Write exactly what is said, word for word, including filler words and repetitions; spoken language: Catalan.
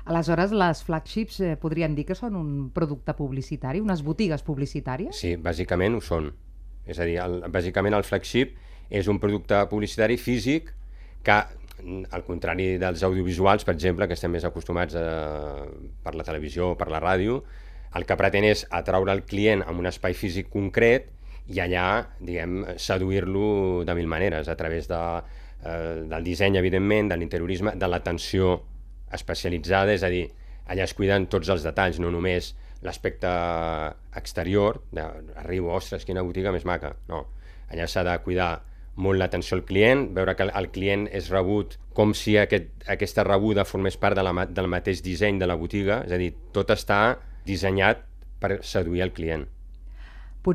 Aleshores, les flagships eh, podríem dir que són un producte publicitari, unes botigues publicitàries? Sí, bàsicament ho són. És a dir, el, bàsicament el flagship és un producte publicitari físic que, al contrari dels audiovisuals, per exemple, que estem més acostumats a, per la televisió o per la ràdio, el que pretén és atraure el client a un espai físic concret i allà, diguem, seduir-lo de mil maneres, a través de, eh, del disseny, evidentment, de l'interiorisme, de l'atenció especialitzada, és a dir, allà es cuiden tots els detalls, no només l'aspecte exterior, de, arribo, ostres, quina botiga més maca, no. Allà s'ha de cuidar molt l'atenció al client, veure que el client és rebut com si aquest, aquesta rebuda formés part de la, del mateix disseny de la botiga, és a dir, tot està dissenyat per seduir el client.